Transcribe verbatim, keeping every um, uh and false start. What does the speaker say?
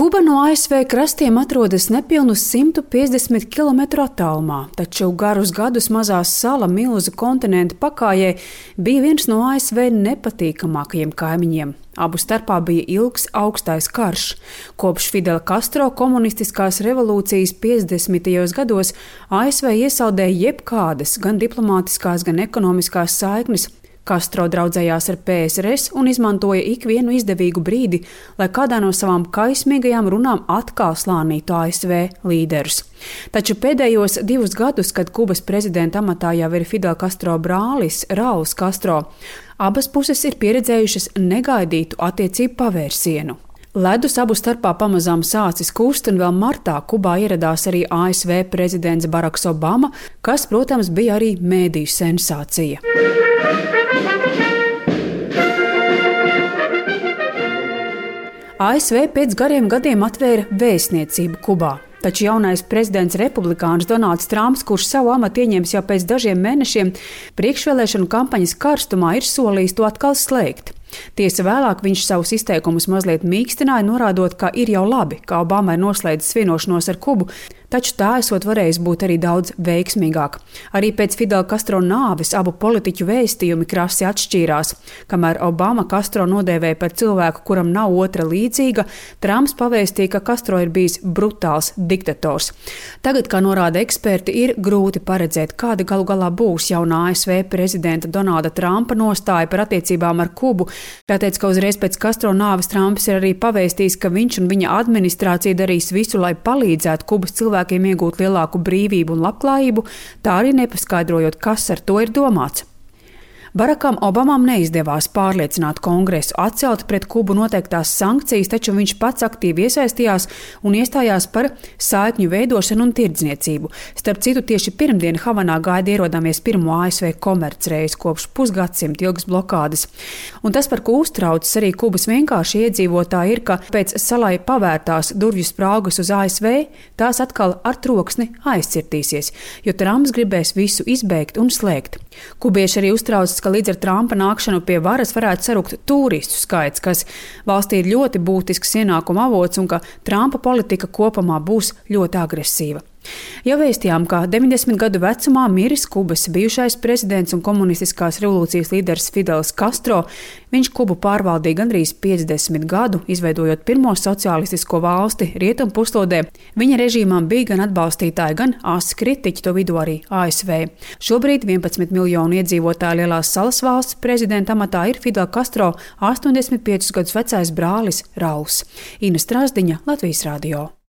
Kuba no A S V krastiem atrodas nepilnus simt piecdesmit kilometru attālumā, taču garus gadus mazā sala milzu kontinentu pakājē bija viens no A S V nepatīkamākajiem kaimiņiem. Abu starpā bija ilgs augstais karš. Kopš Fidela Castro komunistiskās revolūcijas piecdesmitajos gados A S V iesaldēja jebkādas gan diplomātiskās, gan ekonomiskās saiknes. Castro draudzējās ar P S R S un izmantoja ikvienu izdevīgu brīdi, lai kādā no savām kaismīgajām runām atkal slānītu A S V līderus. Taču pēdējos divus gadus, kad Kubas prezidenta amatā jau ir Fidela Castro brālis Rauls Castro, abas puses ir pieredzējušas negaidītu attiecību pavērsienu. Ledus abu starpā pamazām sācis kust, un vēl martā Kubā ieradās arī A S V prezidents Baraks Obama, kas, protams, bija arī mēdīju sensācija. A S V pēc gariem gadiem atvēra vēstniecību Kubā. Taču jaunais prezidents republikāns Donalds Trumps, kurš savu amatu ieņems jau pēc dažiem mēnešiem, priekšvēlēšanu kampaņas karstumā ir solījis to atkal slēgt. Tiesa vēlāk viņš savus izteikumus mazliet mīkstināja, norādot, ka ir jau labi, ka Obama ir noslēdzis vienošanos ar Kubu, taču tā esot varējis būt arī daudz veiksmīgāk. Arī pēc Fidela Castro nāves abu politiķu vēstījumi krasi atšķīrās. Kamēr Obama Castro nodēvēja par cilvēku, kuram nav otra līdzīga, Trumps pavēstīja, ka Castro ir bijis brutāls diktators. Tagad, kā norāda eksperti, ir grūti paredzēt, kāda galu galā būs jaunā A S V prezidenta Donalda Trumpa nostāja par attiecībām ar Kubu. Tātēc, ka uzreiz pēc Castro nāves Trumps ir arī pavēstījis, ka viņš un viņa administrācija darīs visu, lai palīdzētu Kubas cilvēkiem iegūt lielāku brīvību un labklājību, tā arī nepaskaidrojot, kas ar to ir domāts. Barakam Obamam neizdevās pārliecināt Kongresu atcelt pret Kubu noteiktās sankcijas, taču viņš pats aktīvi iesaistījās un iestājās par saikņu veidošanu un tirdzniecību. Starp citu, tieši pirmdien Havanā gaida ierodāmies pirmo A S V komercreizi kopš pusgadsimta ilgas blokādes. Un tas, par ko uztraucas arī Kubas vienkārši iedzīvotāji, ir, ka pēc salai pavērtās durvju spraugas uz A S V, tās atkal ar troksni aizcirtīsies, jo Trumps gribēs visu izbeigt un slēgt. Kubieši arī uztraucas, ka līdz ar Trumpa nākšanu pie varas varētu sarukt turistu skaits, kas valstī ir ļoti būtisks ienākuma avots un ka Trumpa politika kopumā būs ļoti agresīva. Jau vēstījām, ka deviņdesmit gadu vecumā miris Kubas bijušais prezidents un komunistiskās revolūcijas līderis Fidels Castro. Viņš Kubu pārvaldīja gandrīz piecdesmit gadu, izveidojot pirmo sociālistisko valsti rietumu puslodē. Viņa režīmām bija gan atbalstītāji, gan asi kritiķi, to vidū arī A S V. Šobrīd vienpadsmit miljonu iedzīvotāju lielās salas valsts prezidenta amatā ir Fidela Castro astoņdesmit piecus gadus vecais brālis Rauls. Ina Strasdiņa, Latvijas radio.